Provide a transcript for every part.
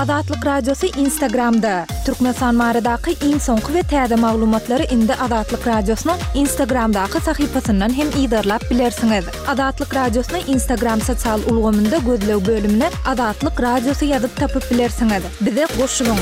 Azatlyk Radiosy Instagramda! Türkmenistan baradaky iň soňky we täze maglumatlary indi Azatlyk Radiosynyň Instagramdaky sahypasyndan hem yzarlap bilersiňiz. Azatlyk Radiosyny Instagram sosial ulgamynda gözleg bölümine Azatlyk Radiosy ýazyp tapyp bilersiňiz. Bize goşulyň!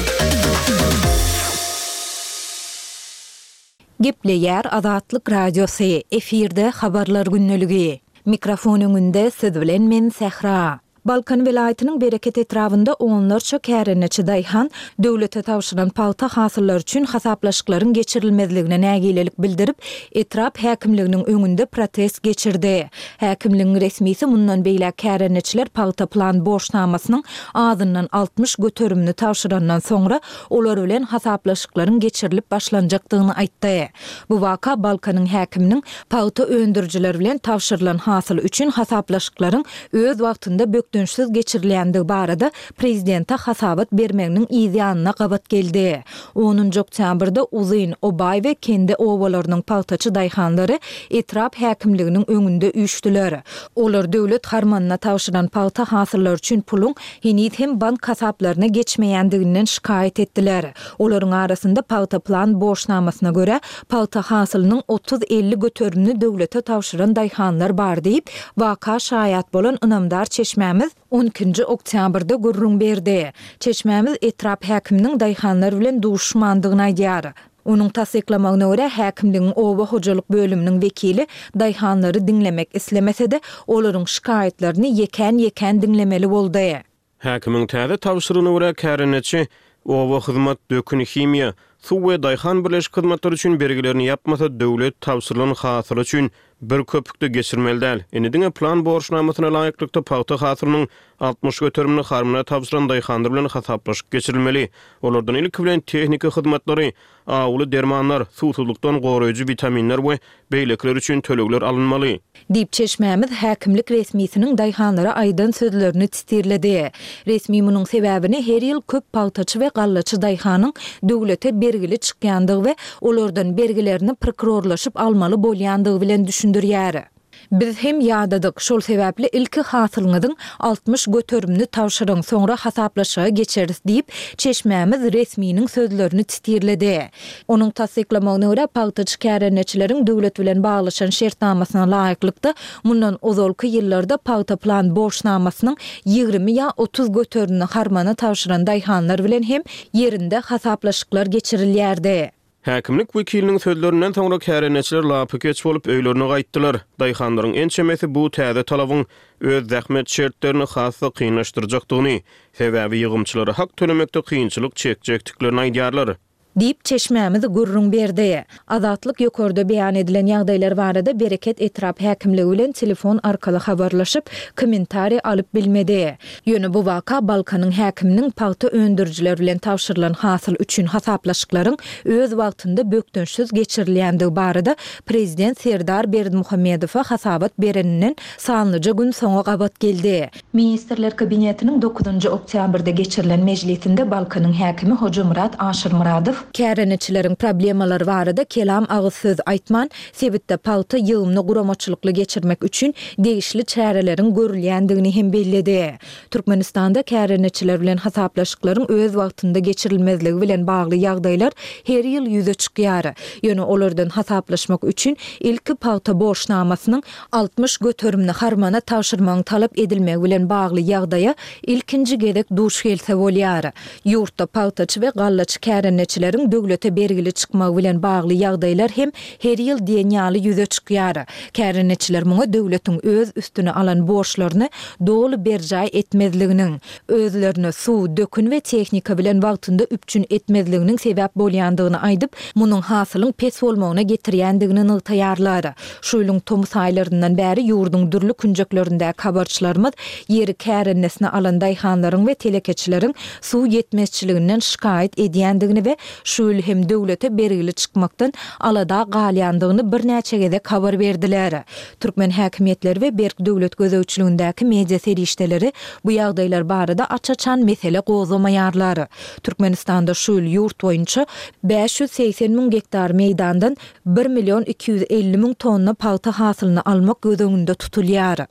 Gepleýär Azatlyk Radiosy, efirde Habarlar gündeligi. Mikrofon öňünde siz bilen men Sähra. Balkan welaýatynyň Bereket etrabynda onlarça kärendeçi daýhan döwlete tabşyran pagta hasyllary üçin hasaplaşyklaryň geçirilmezligine nägilelik bildirip, etrap häkimliginiň öňünde protest geçirdi. Häkimligiň resmisi mundan beýläk kärendeçiler pagta plan borçnamasynyň azyndan 60 göterimini tabşyrandan soňra olar bilen hasaplaşyklaryň geçirilip başlanjakdygyny aýtdy. Bu waka Balkanyň häkiminiň pagta öndürijiler bilen tabşyrylan hasyl üçin hasaplaşyklaryň öz wagtynda bökdençsiz geçirilýändigi barada prezidente hasabat bermeginiň yz ýanyna gabat geldi. Onunjy oktýabrda Uzyn, Obaý we Kende obalarynyň pagtaçy daýhanlary etrap häkimliginiň öňünde üýşdüler. Olar döwlet harmanyna tabşyran pagta hasyllary üçin puluň heniz hem bank hasaplaryna geçmeýändiginden şikaýat etdiler. Olaryň arasynda pagta plan borçnamasyna görä, pagta hasylynyň 30-50 göterimini döwlete tabşyran daýhanlar bar diýip, waka şaýat bolan ynamdar çeşmämiz on ikinji oktýabrda gürrüň berdi. Çeşmämiz etrap häkiminiň daýhanlar bilen duşuşmandygyny aýdýar. Onuň tassyklamagyna görä, häkimligiň oba hojalyk bölüminiň wekili daýhanlary diňlemek islemese-de, olaryň şikaýatlaryny ýekän-ýekän diňlemeli boldy. Häkimiň täze tabşyrygyna görä, kärendeçi oba hyzmat, dökün, himiýa, suw we daýhan birleşik hyzmatlary üçin bergilerini ýapmasa, döwlet tabşyrylan hasyly üçin bir köpük-de geçirmeli däl. Indi diňe plan borçnamasyna laýyklykda pagta hasylynyň 60 göterimini harmana tabşyran daýhanlar bilen hasaplaşyk geçirilmeli. Olardan ilki bilen tehniki hyzmatlary, awuly dermanlar, suwsuzlykdan goraýjy witaminler we beýlekiler üçin tölegler alynmaly. Diýip, çeşmämiz häkimlik resmisiniň daýhanlara aýdan sözlerini titirledi. Resmi munuň sebäbini her ýyl köp pagtaçy we gallaçy daýhanyň döwlete bergili çykýandygy we olardan bergilerini prokurorlaşyp almaly bolýandygy bilen düşündirýär. Biz hem ýadadyk, şol sebäpli ilki hasylyňyzyň 60 göterimini tabşyryň, soňra hasaplaşyga geçeris diýip, çeşmämiz resminiň sözlerini titirledi. Onuň tassyklamagyna görä, pagtaçy kärendeçileriň döwlet bilen baglaşan şertnamasyna laýyklykda, mundan ozalky ýyllarda pagta plan borçnamasynyň 20 ýa 30 göterimini harmana tabşyran daýhanlar bilen hem ýerinde hasaplaşyklar geçirilýärdi. Häkimlik wekiliniň sözlerinden soňra kärendeçiler lapykeç bolup öýlerine gaýtdylar. Daýhanlaryň ençemesi bu täze talabyň öz zähmet şertlerini has-da kynlaşdyrjakdygyny, sebäbi ýygymçylara hak tölemekde kynçylyk çekjekdiklerini aýdýarlar. Diýip, çeşmämiz gürrüň berdi. Azatlyk ýokarda beýan edilen ýagdaýlar barada Bereket etrap häkimligi bilen telefon arkaly habarlaşyp, kommentariý alyp bilmedi. Ýöne bu waka Balkanyň häkiminiň pagta öndürijiler bilen tabşyrylan hasyl üçin hasaplaşyklaryň öz wagtynda bökdençsiz geçirilýändigi barada prezident Serdar Berdimuhamedowa hasabat bereninden sanlyja gün soňa gabat geldi. Ministrler Kabinetiniň dokuzynjy oktýabrda geçirilen mejlisinde Balkanyň häkimi Hojamyrat Aşyrmyradow, kärendeçileriň problemalary barada kelam agyz söz aýtman, sebitde pagta ýygymyny guramaçylykly geçirmek üçin degişli çäreleriň görülýändigini hem belledi. Türkmenistanda kärendeçiler bilen hasaplaşyklaryň öz wagtynda geçirilmezligi bilen bagly ýagdaýlar her ýyl ýüze çykýar. Ýöne olardan hasaplaşmak üçin ilki pagta borçnamasynyň 60 göterimini harmana tabşyrmagyň talap edilmegi bilen bagly ýagdaýa ilkinji gezek duş gelse bolýar. Ýurtda pagtaçy we gallaçy kärendeçileriň döwlete bergili çykmagy bilen bagly ýagdaýlar hem her ýyl diýen ýaly ýüze çykýar. Kärendeçiler muňa döwletiň öz üstüne alan borçlaryny doly berjaý etmezliginiň, özlerini suw, dökün we tehnika bilen wagtynda üpjün etmezliginiň sebäp bolýandygyny aýdyp, munuň hasylyň pes bolmagyna getirýändigini nygtaýarlar. Şu ýylyň tomus aýlaryndan bäri ýurduň dürli künjeklerindäki habarçylarymyz ýeri kärendesine alan daýhanlaryň we telekeçileriň suw ýetmezçiliginden şikaýat edýändigini we şu ýyl hem döwlete bergili çykmakdan alada galýandygyny birnäçe gezek habar berdiler. Türkmen häkimiýetleri we berk döwlet gözegçiligindäki media serişdeleri bu ýagdaýlar barada aç-açan mesele gozgamaýarlar. Türkmenistanda şu ýyl ýurt boýunça 580 müň gektar meýdandan bir million 250 müň tonna pagta hasylyny almak göz öňünde tutulýar.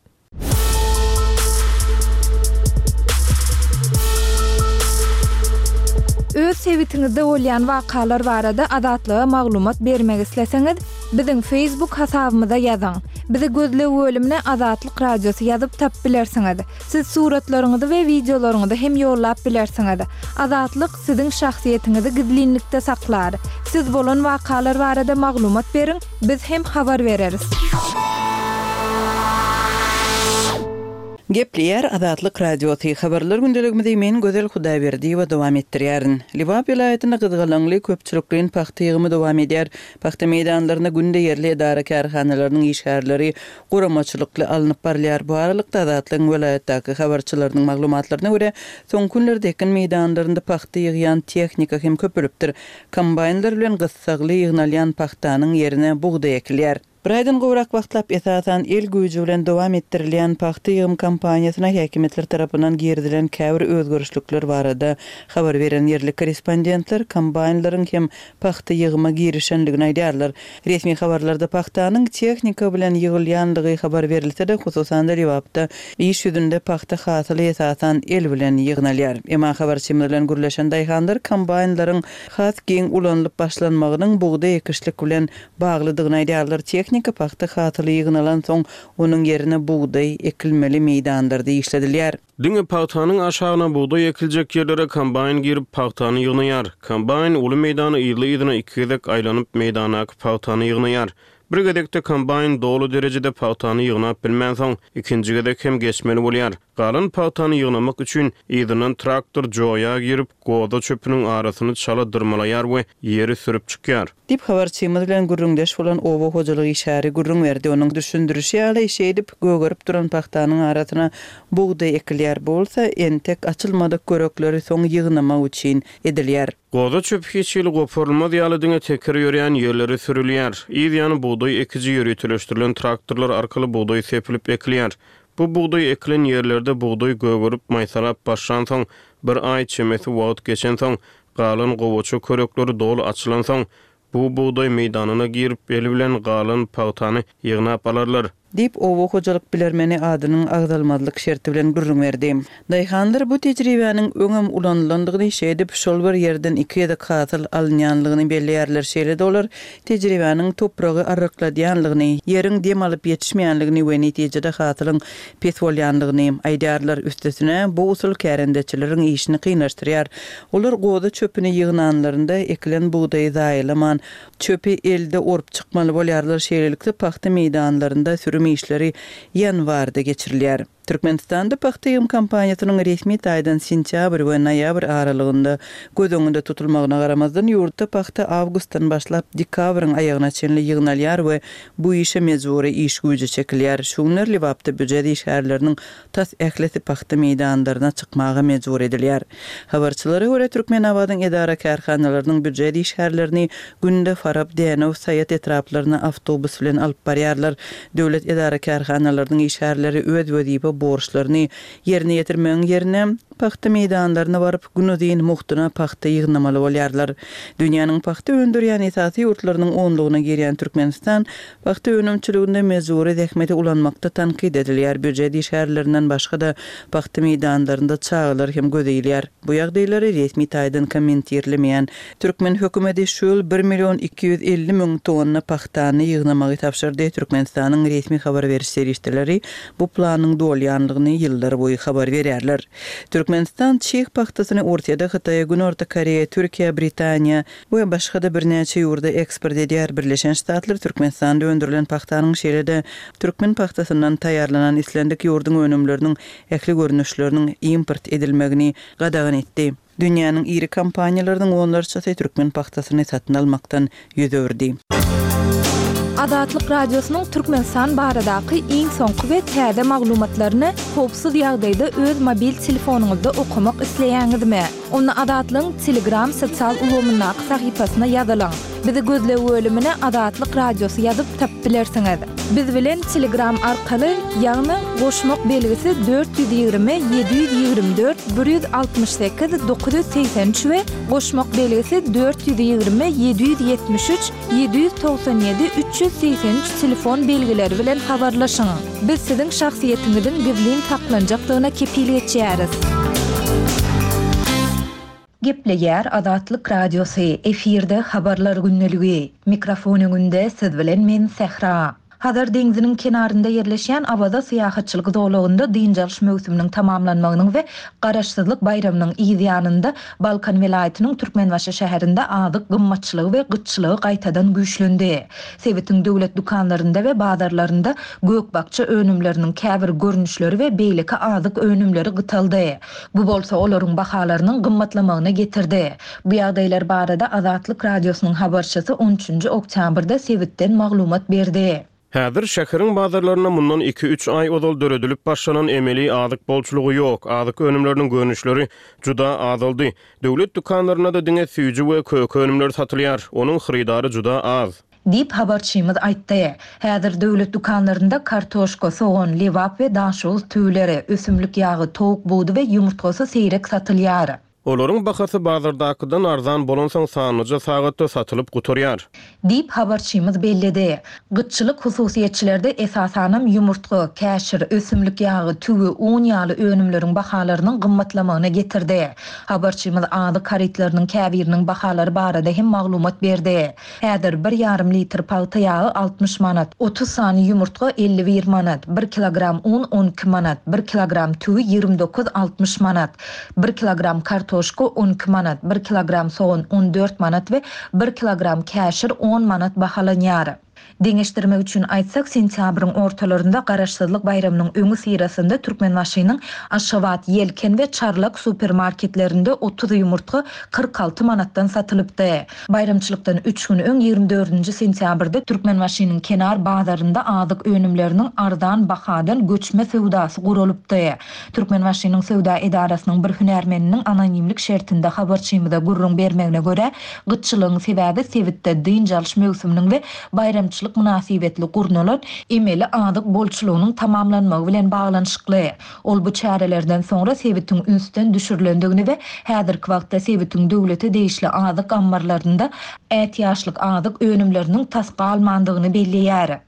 sebitiňizde bolýan wakalar barada Azatlyga maglumat bermek isleseňiz, biziň Facebook hasabymyza ýazyň. Bizi gözleg bölümine Azatlyk Radiosy ýazyp tapyp bilersiňiz. Siz suratlaryňyzy we wideolaryňyzy hem ýollap bilersiňiz. Azatlyk siziň şahsyýetiňizi gizlinlikde saklar. Siz bolan wakalar barada maglumat beriň, biz hem habar bereris. Gepleýär Azatlyk Radiosy, Habarlar gündeligimizi men Gözel Hudaýberdiýewa dowam etdirýärin. Lebap welaýatynda gyzgalaňly köpçülikleýin pagta ýygymy dowam edýär. Pagta meýdanlarynda günde ýerli edara-kärhanalarynyň işgärleri guramaçylykly alnyp barylýar. Bu aralykda, Azatlygyň welaýatdaky habarçylarynyň maglumatlaryna görä, soňky günlerde ekin meýdanlarynda pagta ýygýan tehnika hem köpelipdir. Kombaýnlar bilen gyssagly ýygnalýan pagtanyň ýerine bugdaý ekilýär. Bir aýdan gowrak wagtlap esasan el güýji bilen dowam etdirilýän pagta ýygym kampaniýasyna häkimiýetler tarapyndan girizilen käbir özgerişlikler barada habar beren ýerli korrespondentler kombaýnlaryň hem pagta ýygyma girişendigini aýdýarlar. Resmi habarlarda pagtanyň tehnika bilen ýygylýandygy habar berilse-de, hususan-da Lebapda iş ýüzünde pagta hasyly esasan el bilen ýygnalýar. Emma habarçymyz bilen gürleşen daýhanlar kombaýnlaryň has giň ulanylyp başlanmagynyň bugdaý ekişlik bilen baglydygyny aýdýarlar. Tehnika pagta hasyly ýygnalansoň, onuň ýerine bugdaý ekilmeli meýdanlarda işledilýär. Diňe pagtanyň aşagyna bugdaý ekiljek ýerlere kombaýn girip, pagtany ýygnaýar. Kombaýn uly meýdany yzly-yzyna iki gezek aýlanyp, meýdandaky pagtany ýygnaýar. Bir gezekde kombaýn doly derejede pagtany ýygnap bilmänsoň, ikinji gezek hem geçmeli bolýar. Galan pagtany ýygnamak üçin yzyndan traktor joýa girip, goza çöpüniň arasyny çala dyrmalaýar we ýeri sürüp çykýar. Diýip, habarçymyz bilen gürrüňdeş bolan oba hojalyk işgäri gürrüň berdi. Onuň düşündirişi ýaly, şeýdip, gögerip duran pagtanyň arasyna bugdaý ekilýär. Bu bolsa entek açylmadyk görekleri soň ýygnamak üçin edilýär. Goza çöpi hiç hili goparylmaz ýaly diňe teker ýörýän ýerleri sürülýär. Yz ýany bugdaý ekiji ýöriteleşdirilen traktorlar arkaly bugdaý sepilip ekilýär. Bu bugdaý ekilen ýerlerde bugdaý gögerip maýsalap başlansoň, bir aý çemesi wagt geçensoň, galan gowaça körekleri doly açylansoň, bu bugdaý meýdanyna girip, el bilen galan pagtany ýygnap alarlar. Diýip, oba hojalyk bilermeni adynyň agzalmazlyk şerti bilen gürrüň berdi. Daýhanlar bu tejribäniň öňem ulanylandygyny, şeýdip, şol bir ýerden iki gezek hasyl alynýanlygyny belleýärler. Şeýle-de olar tejribäniň topragy arrykladýanlygyny, ýeriň dem alyp ýetişmeýänligini we netijede hasylyň pes bolýanlygyny aýdýarlar. Üstesine, bu usul kärendeçileriň işini kynlaşdyrýar. Olar goza çöpüni ýygnanlarynda ekilen bugdaýy zaýalaman, çöpi elde orup çykmaly bolýarlar. Şeýlelikde, pagta meýdanlarynda sürüm işleri ýanwarda geçirilýär. Türkmenistanda pagta ýygym kampaniýasynyň resmi taýdan sentýabr we noýabr aralygynda göz öňünde tutulmagyna garamazdan, ýurtda pagta awgustdan başlap dekabryň aýagyna çenli ýygnalýar we bu işe mejbury iş güýji çekilýär. Şu günler Lebapda býujet işgärleriniň tas ählisi pagta meýdanlaryna çykmaga mejbur edilýär. Habarçylara görä, Türkmenabadyň edara-kärhanalarynyň býujet işgärlerini günde Farap, Dänew, Saýat etraplaryna awtobus bilen alyp barýarlar. Döwlet edara-kärhanalarynyň işgärleri öz wezipe borçlaryny ýerine ýetirmegiň ýerine, pagta meýdanlaryna baryp, günuzyn mugtuna pagta ýygnamaly bolýarlar. Dünýäniň pagta öndürýän esasy ýurtlarynyň onlugyna girýän Türkmenistan pagta önümçiliginde mejbury zähmeti ulanmakda tankyt edilýär, býujet işgärlerinden başga-da, pagta meýdanlarynda çagalar hem göze ilýär. Bu ýagdaýlary resmi taýdan kommentirlemeýän türkmen hökümeti şu ýyl bir million 250 müň tonna pagtany ýygnamagy tabşyrdy. Türkmenistanyň resmi habar beriş serişdeleri bu planyň dolýanlygyny ýyllar boýy habar berýärler. Türkmenistan çig pagtasyny Orsýede, Hytaýa, Günorta Koreýa, Türkiýä, Britaniýa we başga-da birnäçe ýurda eksport edýär. Birleşen Ştatlar Türkmenistanda öndürilen pagtanyň şeýle-de türkmen pagtasyndan taýýarlanan islendik ýurduň önümleriniň ähli görnüşleriniň import edilmegini gadagan etdi. Dünýäniň iri kompaniýalarynyň onlarçasy türkmen pagtasyny satyn almakdan ýüz öwürdi. Azatlyk Radiosynyň Türkmenistan baradaky iň soňky we täze maglumatlaryny howpsuz ýagdaýda öz mobil telefonyňyzda okamak isleýäňizmi? Onda Azatlygyň Telegram sosial ulgamyndaky sahypasyna ýazylyň. Bizi gözleg bölümine Azatlyk Radiosy ýazyp tapyp bilersiňiz. Biz bilen Telegram arkaly, ýagny goşmak belgisi 420 724 168 983 we goşmak belgisi 420 773 797 383 telefon belgileri bilen habarlaşyň. Biz siziň şahsyýetiňiziň gizlin saklanjakdygyna kepil geçýäris. Gepleýär Azatlyk Radiosy, efirde Habarlar gündeligi. Mikrofon öňünde siz bilen men Sähra. Hazar deňziniň kenarynda ýerleşýän Awaza syýahatçylyk zolagynda dynç alyş möwsüminiň tamamlanmagynyň we Garaşsyzlyk baýramynyň yz ýanynda Balkan welaýatynyň Türkmenbaşy şäherinde azyk gymmatçylygy we gytçylygy gaýtadan güýçlendi. Sebitiň döwlet dükanlarynda we bazarlarynda gök-bakja önümleriniň käbir görnüşleri we beýleki azyk önümleri gytaldy. Bu bolsa olaryň bahalarynyň gymmatlamagyna getirdi. Bu ýagdaýlar barada Azatlyk Radiosynyň habarçysy on üçünji oktýabrda sebitden maglumat berdi. Häzir şäheriň bazarlarynda mundan iki-üç aý ozal döredilip başlanan emeli azyk bolçulygy ýok, azyk önümleriniň görnüşleri juda azaldy. Döwlet dükanlarynda-da diňe süýji we köke önümleri satylýar, onuň hyrydary juda az. Diýip, habarçymyz aýtdy. Häzir döwlet dükanlarynda kartoşka, sogan, lebap we daşoguz tüwüleri, ösümlik ýagy, towuk budy we ýumurtgasy seýrek satylýar. Olaryň bahasy bazardakydan arzan bolansoň sanlyja sagatda satylyp gutarýar. Diýip, habarçymyz belledi. Gytçylyk hususyýetçilerde esasanam ýumurtga, käşir, ösümlik ýagy, tüwi, un ýaly önümleriň bahalarynyň gymmatlamagyna getirdi. Habarçymyz azyk harytlarynyň käbiriniň bahalary barada hem maglumat berdi. Häzir bir ýarym litr pagta ýagy 60 manat, 30 sany ýumurtga 51 manat, bir kilogram un 12 manat, bir kilogram tüwi 29, 60 manat, bir kilogram kartoşka 12 manat, bir kilogram sogan 14 manat we bir kilogram käşir on manat bahalanýar. Deňeşdirmek üçin aýtsak, sentýabryň ortalarynda Garaşsyzlyk baýramynyň öňüsyrasynda Türkmenbaşynyň Aşgabat, Ýelken we Çarlak supermarketlerinde 30 ýumurtga 46 manatdan satylypdy. Baýramçylykdan üç gün öň, 24-nji sentýabrda Türkmenbaşynyň Kenar bazarynda azyk önümleriniň arzan bahadan göçme söwdasy guralypdy. Türkmenbaşynyň söwda edarasynyň bir hünärmeniniň anonimlik şertinde habarçymyza gürrüň bermegine görä, gytçylygyň sebäbi sebitde dynç alyş möwsüminiň we baýramçylyk mynasybetli gurnalan emeli azyk bolçulygynyň tamamlanmagy bilen baglanyşykly. Ol bu çärelerden soňra sebitiň ünsden düşürilendigini we häzirki wagtda sebitiň döwlete degişli azyk ammarlarynda ätiýaçlyk azyk önümleriniň tas galmandygyny belleýär.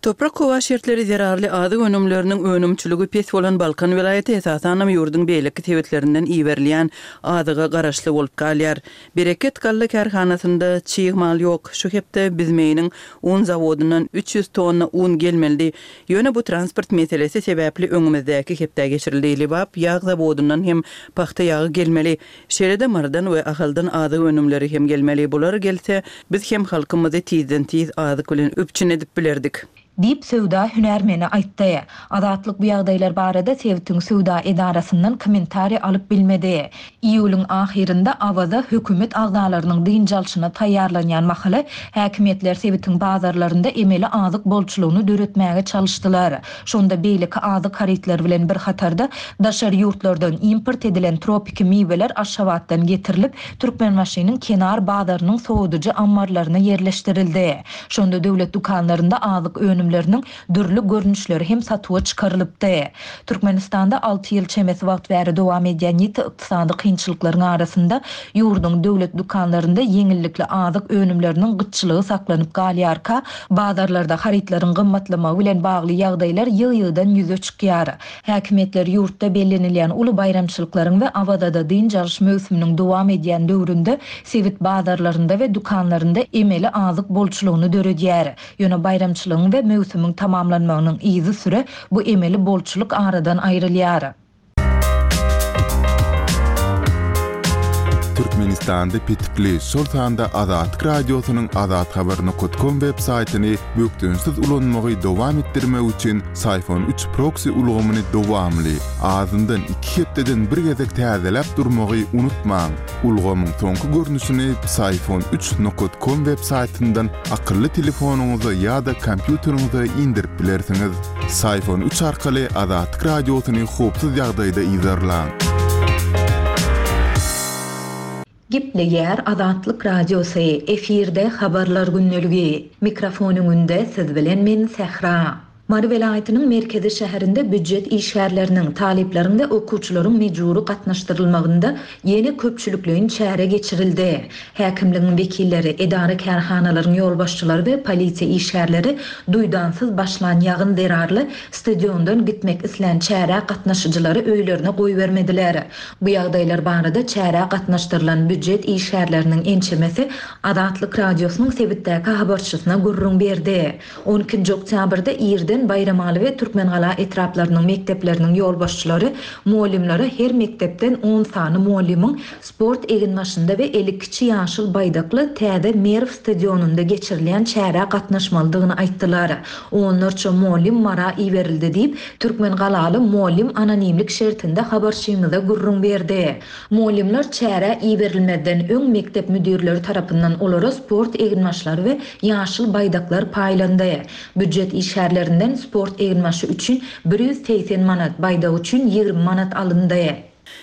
Toprak-howa şertleri zerarly azyk önümleriniň önümçiligi pes bolan Balkan welaýaty esasanam ýurduň beýleki sebitlerinden iberilýän azyga garaşly bolup galýar. Bereket galla kärhanasynda çig mal ýok. Şu hepde Büzmeýiniň un zawodyndan 300 tonna un gelmelidi. Ýöne bu transport meselesi sebäpli öňümizdäki hepdä geçirildi. Lebap ýag zawodyndan hem pagta ýagy gelmeli. Şeýle-de Marydan we Ahaldan azyk önümleri hem gelmeli. Bular gelse, biz hem halkymyzy tizden-tiz azyk bilen üpjün edip bilerdik. Diýip, söwda hünärmeni aýtdy. Azatlyk bu ýagdaýlar barada sebitiň söwda edarasyndan kommentariý alyp bilmedi. Iýulyň ahyrynda Awaza hökümet agzalarynyň dynç alşyna taýýarlanýan mahaly, häkimiýetler sebitiň bazarlarynda emeli azyk bolçulygyny döretmäge çalyşdylar. Şonda beýleki azyk harytlary bilen bir hatarda, daşary ýurtlardan import edilen tropiki miweler Aşgabatdan getirilip, Türkmenbaşynyň Kenar bazarynyň sowadyjy ammarlaryna ýerleşdirildi. Şonda döwlet dükanlarynda azyk önümleriniň dürli görnüşleri hem satuwa çykarylypdy. Türkmenistanda alty ýyl çemesi wagt bäri dowam edýän ýiti ykdysady kynçylyklaryň arasynda ýurduň döwlet dükanlarynda ýeňillikli azyk önümleriniň gytçylygy saklanyp galýarka, bazarlarda harytlaryň gymmatlamagy bilen bagly ýagdaýlar ýygy-ýygydan ýüze çykýar. Häkimiýetler ýurtda bellenilýän uly baýramçylyklaryň we Awazada dynç alyş möwsüminiň dowam edýän döwründe sebit bazarlarynda we dükanlarynda emeli azyk bolçulygyny döredýär. Ýöne baýramçylygyň we möwsümiň tamamlanmagynyň yzysüre bu emeli bolçulyk aradan aýrylýar. Türkmenistanda petikli, şol sanda Azatlyk Radiosynyň azathabar nokat kom web saýtyny bökdençsiz ulanmagy dowam etdirmek üçin Syfon üç proksi ulgamyny dowamly, azyndan iki hepdeden bir gezek täzeläp durmagy unutmaň. Ulgamyň soňky görnüşini Psiphon üç nokat kom web saýtyndan akylly telefonyňyza ýa-da kompýuteriňize indirip bilersiňiz. Psiphon üç arkaly Azatlyk Radiosyny howpsuz ýagdaýda yzarlaň. Gepleýär Azatlyk Radiosy, efirde Habarlar gündeligi. Mikrofon öňünde siz bilen men Sähra. Mary welaýatynyň merkezi şäherinde býujet işgärleriniň, talyplaryň we okuwçylaryň mejbury gatnaşdyrylmagynda ýene köpçülikleýin çäre geçirildi. Häkimligiň wekilleri, edara-kärhanalaryň ýolbaşçylary we polisiýa işgärleri duýdansyz başlan ýagyn zerarly stadiondan gitmek islän çärä gatnaşyjylary öýlerine goýbermediler. Bu ýagdaýlar barada çärä gatnaşdyrylan býujet işgärleriniň ençemesi Azatlyk Radiosynyň sebitdäki habarçysyna gürrüň berdi. On ikinji oktýabrda irden Baýramaly we Türkmengala etraplarynyň mekdepleriniň ýolbaşçylary mugallymlara her mekdepden on sany mugallymyň sport eginbaşynda we eli kiçi ýaşyl baýdakly täze Merw stadionynda geçirilýän çärä gatnaşmalydygyny aýtdylar. Onlarça mugallym Mara iberildi diýip, türkmengalaly mugallym anonimlik şertinde habarçymyza gürrüň berdi. Mugallymlar çärä iberilmezden öň mekdep müdirleri tarapyndan olara sport eginbaşlary we ýaşyl baýdaklar paýlandy. Býujet işgärlerinden sport eginbaşy üçin 180 manat, baýdak üçin 20 manat alyndy.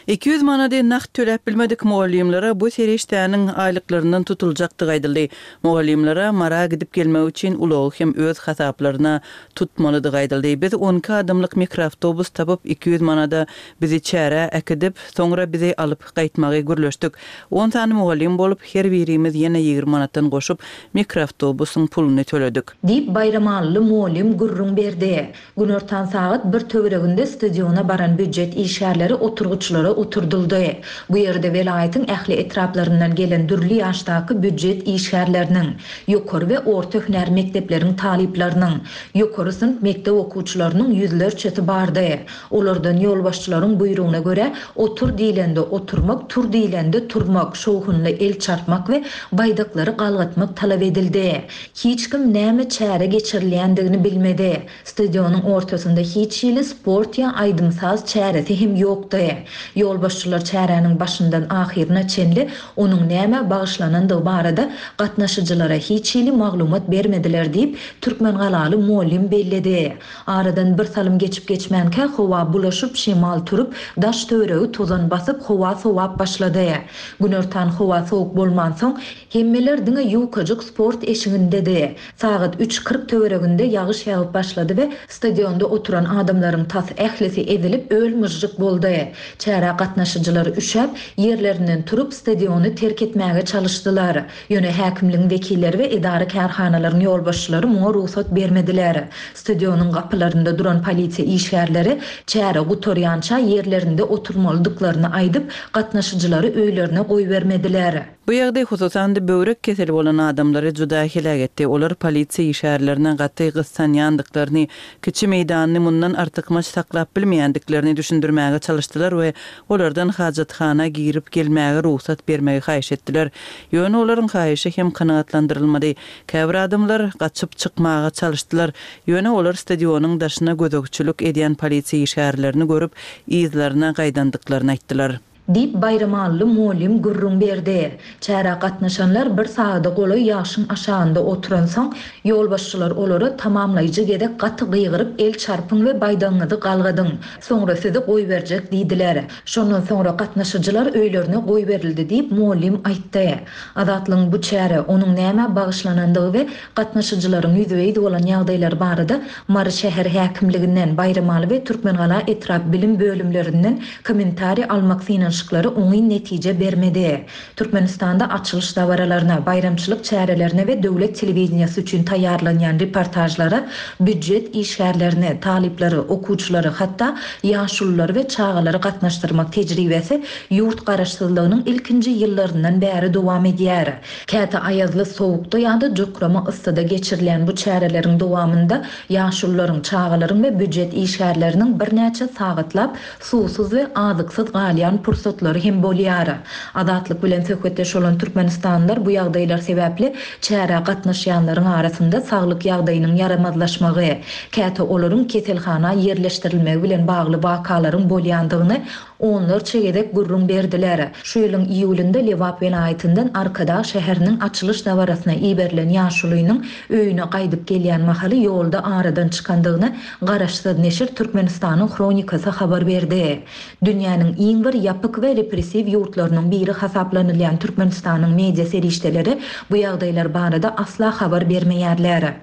200 manady nagt töläp bilmedik mugallymlara bu serişdäniň aýlyklaryndan tutuljakdygy aýdyldy. Mugallymlara Mara gidip gelmek üçin ulagy hem öz hasaplaryna tutmalydygy aýdyldy. Biz on iki adamlyk mikroawtobus tapyp, 200 manada bizi çärä äkidip, soňra bizi alyp gaýtmagy gürleşdik. On sany mugallym bolup, her birimiz ýene 20 manatdan goşup, mikroawtobusyň puluny töledik. Diýip, baýramalyly mugallym gürrüň berdi. Günortan sagat bir töwereginde stadiona baran býujet işgärleri oturgyçlara oturdyldy. Bu ýerde welaýatyň ähli etraplaryndan gelen dürli ýaşdaky býujet işgärleriniň, ýokary we orta hünär mekdepleriň talyplarynyň, ýokary synp mekdep okuwçylarynyň ýüzlerçesi bardy. Olardan ýolbaşçylaryň buýrugyna görä, otur diýlende oturmak, tur diýlende turmak, şowhunly el çarpmak we baýdaklary galgatmak talap edildi. Hiç kim näme çäre geçirilýändigini bilmedi. Stadionyň ortasynda hiç hili sport ýa aýdym-saz çäresi hem ýokdy. Ýolbaşçylar çäräniň başyndan ahyryna çenli onuň nämä bagyşlanandygy barada gatnaşyjylara hiç hili maglumat bermediler diýip, türkmengalaly mugallym belledi. Aradan bir salym geçip-geçmänkä howa bulaşyp, şemal turup, daş-töweregi tozan basyp, howa sowap başlady. Günortan howa sowuk bolmansoň, hemmeler diňe ýukajyk sport eşigindedi. Sagat üç 40 töwereginde ýagyş ýagyp başlady we stadionda oturan adamlaryň tas ählisi ezilip, öl-myžžyk boldy. Çärä gatnaşyjylar üşäp, ýerlerinden turup, stadiony terk etmäge çalyşdylar. Ýöne häkimligiň wekilleri we edara-kärhanalaryň ýolbaşçylary muňa rugsat bermediler. Stadionyň gapylarynda duran polisiýa işgärleri çäre gutarýança ýerlerinde oturmalydyklaryny aýdyp, gatnaşyjylary öýlerine goýbermediler. Bu ýagdaý hususan-da böwrek keseli bolan adamlary juda heläk etdi. Olar polisiýa işgärlerine gaty gyssanýandyklaryny, kiçi meýdanyny mundan artykmaç saklap bilmeýändiklerini düşündirmäge çalyşdylar we olardan hajathana girip gelmäge rugsat bermegi haýyş etdiler. Ýöne olaryň haýyşy hem kanagatlandyrylmady. Käbir adamlar gaçyp çykmaga çalyşdylar. Ýöne olar stadionyň daşyna gözegçilik edýän polisiýa işgärlerini görüp, yzlaryna gaýdandyklaryny aýtdylar. Diýip, baýramally mugallym gürrüň berdi. Çärä gatnaşanlar bir sagada golaý ýagşyň aşagynda oturansoň, ýolbaşçylar olara tamamlaýjy gezek gaty gygyryp el çarpyň we baýdagyňyzy galgadyň, soňra sizi goýberjek diýdiler. Şondan soňra gatnaşyjylar öýlerine goýberildi diýip, mugallym aýtdy. Azatlygyň bu çäre, onuň nämä bagyşlanandygy we gatnaşyjylaryň ýüzbe-ýüz bolan ýagdaýlary barada Mary şäher häkimliginden, Baýramaly we Türkmengala etrap bilim bölümlerinden kommentariý almak synanyşyklary oňyn netije bermedi. Türkmenistanda açylyş dabaralaryna, baýramçylyk çärelerine we döwlet telewideniýesi üçin taýýarlanýan reportažlara býujet işgärlerini, talyplary, okuwçylary, hatda ýaşululary we çagalary gatnaşdyrmak tejribesi ýurt garaşsyzlygynyň ilkinji ýyllaryndan bäri dowam edýär. Käte aýazly sowukda ýa-da jokrama yssyda geçirilýän bu çäreleriň dowamynda ýaşulularyň, çagalaryň we býujet işgärleriniň birnäçe sagatlap suwsuz we azyksyz galýan pursatlary hem bolýar. Azatlyk bilen söhbetdeş bolan türkmenistanlylar bu ýagdaýlar sebäpli çärä gatnaşýanlaryň arasynda saglyk ýagdaýynyň ýaramazlaşmagy, käte olaryň keselhana ýerleşdirilmegi bilen bagly wakalaryň bolýandygyny onlarça gezek gürrüň berdiler. Şu ýylyň iýulynda Lebap welaýatyndan Arkadag şäheriniň açylyş dabarasyna iberilen ýaşulynyň öýüne gaýdyp gelýän mahaly ýolda aradan çykandygyny Garaşsyz neşir Türkmenistanyň Hronikasy habar berdi. Dünýäniň iň bir ýapyk we repressiw ýurtlarynyň biri hasaplanylýan Türkmenistanyň media serişdeleri bu ýagdaýlar barada asla habar bermeýärler.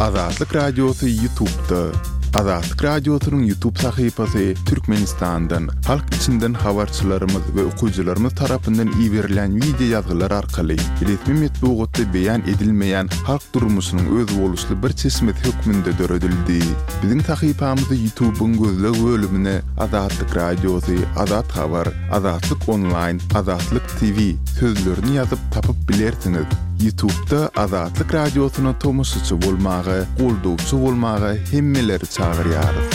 Azatlyk Radiosy Ýutubda. Azatlyk Radiosynyň Ýutub sahypasy Türkmenistandan, halk içinden habarçylarymyz we okyjylarymyz tarapyndan iberilen wideo ýazgylar arkaly resmi metbugatda beýan edilmeýän halk durmuşynyň özboluşly bir çeşmesi hökmünde döredildi. Biziň sahypamyzy Ýutubyň gözleg bölümine Azatlyk Radiosy, Azat Habar, Azatlyk Onlaýn, Azatlyk TV sözlerini ýazyp tapyp bilersiňiz. Ýutubda Azatlyk Radiosyna tomaşaçy bolmaga, goldawçy bolmaga hemmeleri çagyrýarys.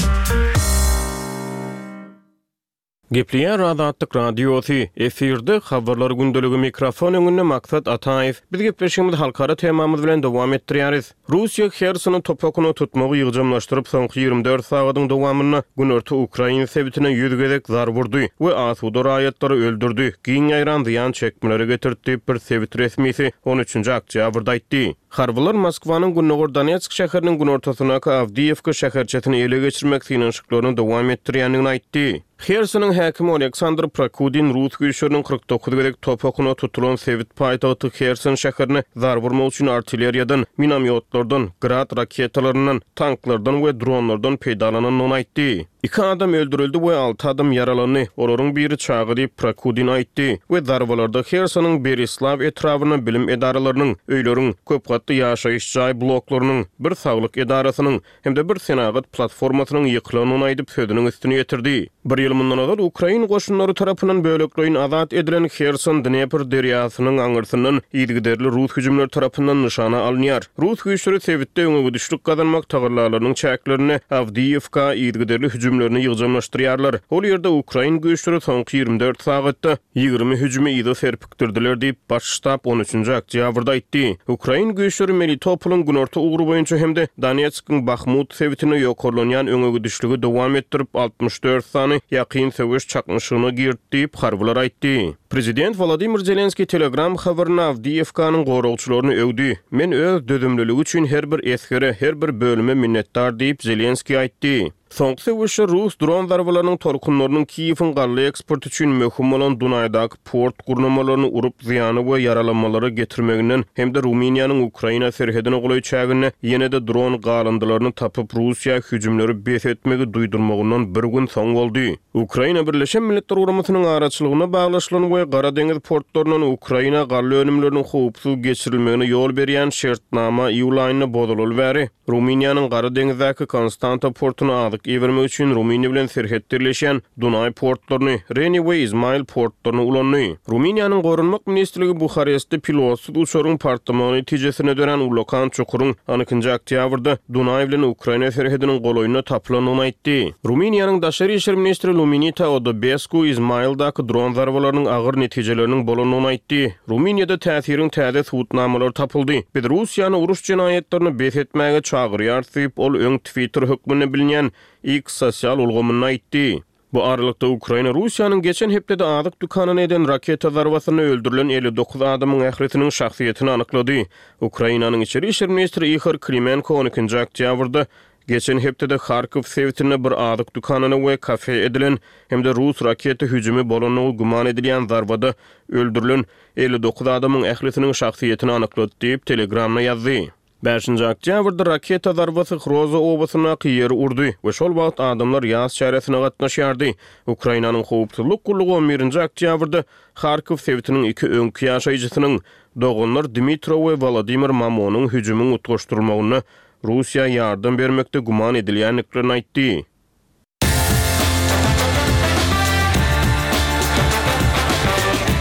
Gepleýär Azatlyk Radiosy, efirde Habarlar gündeligi mikrofon öňünde Maksat Ataýew. Biz gepleşigimizi halkara temamyz bilen dowam etdirýäris. Russiýa Hersony top okuna tutmagy ýygjamlaşdyryp, soňky 24 sagadyň dowamynda günorta ukrain sebitine ýüz gezek zarba urdy we asuda raýatlary öldürdi, giň ýaýran zyýan çekmelere getirdi diýip, bir sebit resmisi on üçünji oktýabrda aýtdy. Harbylar Moskwanyň gündogar Donetsk şäheriniň günortasyndaky Awdiýewka şäherçesini ele geçirmek synanyşyklaryny dowam etdirýändigini aýtdy. Hersonyň häkimi Oleksandr Prokudin rus güýçleriniň 49 gezek top okuna tutulan sebit paýtagty Herson şäherine zarba urmak üçin artilleriýadan, minomýotlardan, Grad raketalaryndan, tanklardan we dronlardan peýdalanandygyny aýtdy. Iki adam öldürildi we alty adam ýaralandy, olaryň biri çaga diýip, Prokudin aýtdy we zarbalarda Hersonyň Berislaw etrabynda bilim edaralarynyň, öýleriň, köpgatly ýaşaýyş jaý bloklarynyň, bir saglyk edarasynyň, hem-de bir senagat platformasynyň ýykylandygyny aýdyp, sözüniň üstüni ýetirdi. Bir ýyl mundan ozal ukrain goşunlary tarapyndan bölekleýin azat edilen Herson Dnepr derýasynyň aňyrsyndan yzygiderli rus hüjümleri tarapyndan nyşana alynýar. Rus güýçleri sebitde öňegidişlik gazanmak tagallalarynyň çäklerinde Awdiýewka yzygiderli hüjümlerini ýygjamlaşdyrýarlar. Ol ýerde ukrain güýçleri soňky 24 sagatda 20 hüjümi yza serpikdirdiler diýip, Baş ştab on üçünji oktýabrda aýtdy. Ukrain güýçleri Melitopolyň günorta ugry boýunça hem-de Donetskiň Bahmut sebitinde ýokarlanýan öňegidişligi dowam etdirip, 64 sany ýakyn söweş çaknyşygyna girdi diýip, harbylar aýtdy. Prezident Wolodymyr Zelenskiý Telegram habarynda Awdiýewkanyň goragçylaryny öwdi. Men öz dözümliligi üçin her bir esgere, her bir bölüme minnetdar diýip, Zelenskiý aýtdy. Soňky söweşde rus dron zarbalarynyň tolkunlarynyň Kiýewiň galla eksporty üçin möhüm bolan Dunaýdaky port gurnamalaryny urup, zyýana we ýaralanmalara getirmeginden hem-de Rumyniýanyň Ukraina serhedine golaý çäginde ýene-de dron galyndylaryny tapyp, Russiýa hüjümleri bes etmegi duýdurmagyndan bir gün soň boldy. Ukraina Birleşen Milletler Guramasynyň araçylygynda baglaşylan we Gara deňiz portlaryndan Ukraina galla önümleriniň howpsuz geçirilmegine ýol berýän şertnama iýul aýynda bozulaly bäri, Rumyniýanyň Gara deňizdäki Konstanta portuna azyk ibermek üçin Rumyniýa bilen serhetde ýerleşýän Dunaý portlaryny, Reni we Izmail portlaryny ulandy. Rumyniýanyň Goranmak ministrligi Buharestde pilotsyz uçaryň partlamagy netijesinde dörän ullakan çukuryň on ikinji oktýabrda Dunaý bilen Ukraina serhediniň golaýynda tapylandygyny aýtdy. Rumyniýanyň daşary işler ministri Luminita Odobesku Izmaildaky dron zarbalarynyň agyr netijeleriniň bolandygyny aýtdy. Rumyniýada täsiriň täze subutnamalary tapyldy. Biz Russiýany uruş jenaýatlaryny bes etmäge çagyrýarys diýip, ol öň Twitter hökmünde bilinýän X sosial ulgamynda aýtdy. Bu aralykda, Ukraina Russiýanyň geçen hepdede azyk dükanyna eden raketa zarbasynda öldürilen 59 adamyň ählisiniň şahsyýetini anyklady. Ukrainanyň içeri işler ministri Ihor Klimenko on ikinji oktýabrda Geçen hepdede Harkow sebitinde bir azyk dükanyna we kafe edilen hem-de rus raketa hüjümi bolandygy güman edilýän zarbada öldürilen 59 adamyň ählisiniň şahsyýetini anyklady diýip, Telegramda ýazdy. Bäşinji oktýabrda raketa zarbasy Hroza obasyndaky ýeri urdy we şol wagt adamlar ýas çäresine gatnaşýardy. Ukrainanyň howpsuzlyk gullugy on birinji oktýabrda Harkow sebitiniň iki öňki ýaşaýjysynyň, doganlar Dmitro we Wolodymyr Mamonyň hüjümiň utgaşdyrylmagynda Russiýa ýardam bermekde güman edilýändiklerini aýtdy.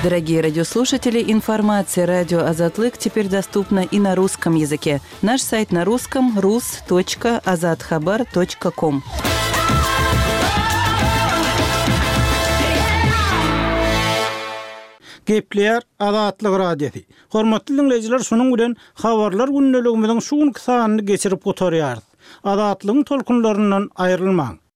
Дорогие радиослушатели, информация радио Азатлык теперь доступна и на русском языке. Наш сайт на русском rus.azathabar.com. Gepleýär Azatlyk Radiosy. Hormatly diňleýjiler şunuň bilen Habarlar gündeligimiziň şu günki sanyny geçirip gutarýarys. Azatlygyň tolkunlaryndan aýrylmaň!